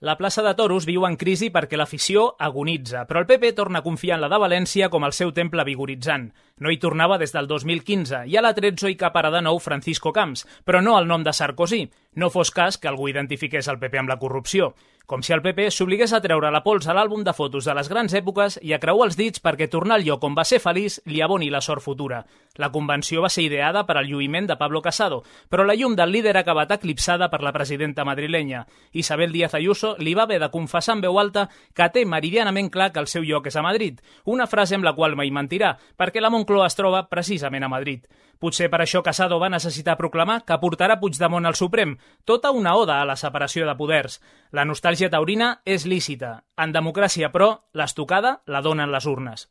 La plaça de Toros viu en crisi perquè l'afició agonitza, però el PP torna a confiar en la de València com el seu temple vigoritzant. No hi tornava des del 2015 i a la 13 hi caparà de nou Francisco Camps, però no el nom de Sarkozy. No fos cas que algú identifiqués el PP amb la corrupció. Com si el PP s'obligués a treure la pols a l'àlbum de fotos de les grans èpoques i a creuar els dits perquè tornar al lloc on va ser feliç li aboni la sort futura. La convenció va ser ideada per al lluïment de Pablo Casado, però la llum del líder ha acabat eclipsada per la presidenta madrilenya. Isabel Díaz Ayuso li va haver de confessar en veu alta que té meridianament clar que el seu lloc és a Madrid, una frase amb la qual mai mentirà, perquè la Moncloa es troba precisament a Madrid. Potser per això Casado va necessitar proclamar que portarà Puigdemont al Suprem, tota una oda a la separació de poders. La nostàlgia taurina és lícita. En democràcia, però, l'estocada la donen les urnes.